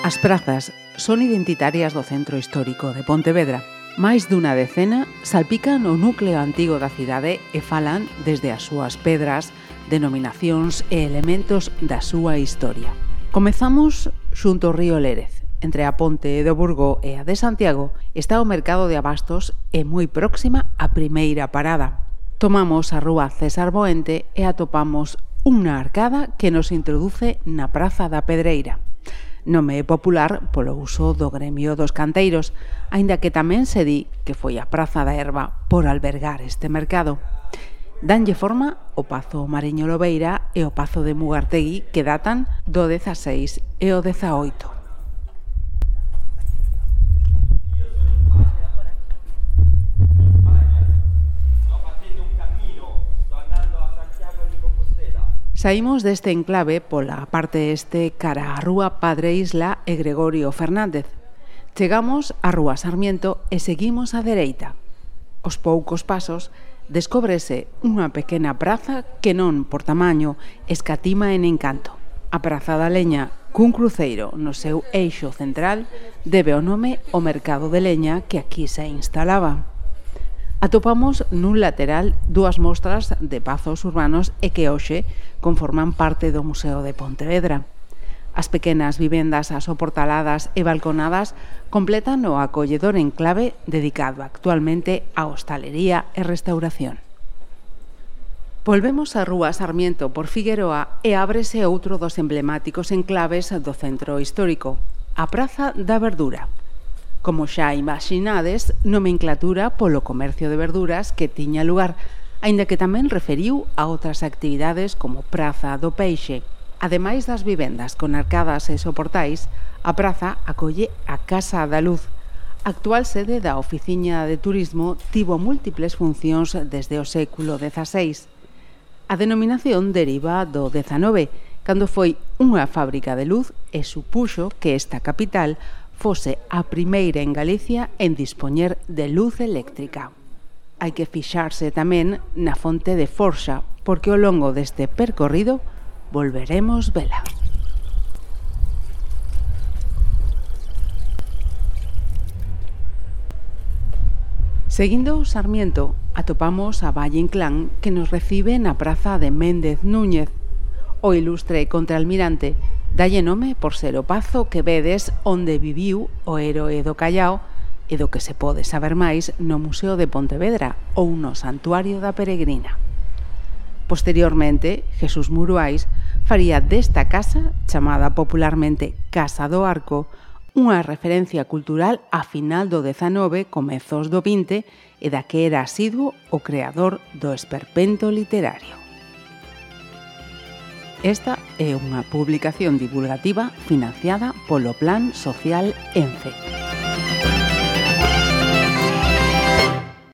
As prazas son identitarias do centro histórico de Pontevedra. Máis dunha decena salpican o núcleo antigo da cidade e falan desde as súas pedras, denominacións e elementos da súa historia. Comezamos xunto ao río Lérez. Entre a ponte do Burgo e a de Santiago está o mercado de abastos e moi próxima á primeira parada. Tomamos a rúa César Boente e atopamos unha arcada que nos introduce na Praza da Pedreira. Nome popular polo uso do gremio dos canteiros, aínda que tamén se di que foi a Praza da Herba por albergar este mercado. Danlle forma o Pazo Mariño Lobeira e o Pazo de Mugartegui que datan do 16 e o 18. Saímos deste enclave pola parte este cara á rúa Padre Isla e Gregorio Fernández. Chegamos á rúa Sarmiento e seguimos á dereita. Aos poucos pasos descóbrese unha pequena praza que non, por tamaño, escatima en encanto. A Praza da Leña, cun cruceiro no seu eixo central, debe o nome ao mercado de leña que aquí se instalaba. Atopamos nun lateral dúas mostras de pazos urbanos e que hoxe conforman parte do Museo de Pontevedra. As pequenas vivendas asoportaladas e balconadas completan o acolledor enclave dedicado actualmente á hostalería e restauración. Volvemos á rúa Sarmiento por Figueroa e ábrese outro dos emblemáticos enclaves do centro histórico, a Praza da Verdura. Como xa imaginades, nomenclatura polo comercio de verduras que tiña lugar, aínda que tamén referiu a outras actividades como Praza do Peixe. Ademais das vivendas con arcadas e soportais, a praza acolle a Casa da Luz. A actual sede da Oficiña de Turismo tivo múltiples funcións desde o século XVI. A denominación deriva do XIX, cando foi unha fábrica de luz e supuxo que esta capital fose a primeira en Galicia en dispoñer de luz eléctrica. Hai que fixarse tamén na fonte de Forxa, porque ao longo deste percorrido volveremos vela. Seguindo o Sarmiento, atopamos a Valle Inclán que nos recibe na praza de Méndez Núñez. O ilustre contraalmirante dalle nome por ser o pazo que vedes onde viviu o héroe do Callao e do que se pode saber máis no Museo de Pontevedra ou no Santuario da Peregrina. Posteriormente, Jesús Muruais faría desta casa, chamada popularmente Casa do Arco, unha referencia cultural a final do XIX, comezos do XX e da que era asiduo o creador do esperpento literario. Esta é unha publicación divulgativa financiada polo Plan Social ENCE.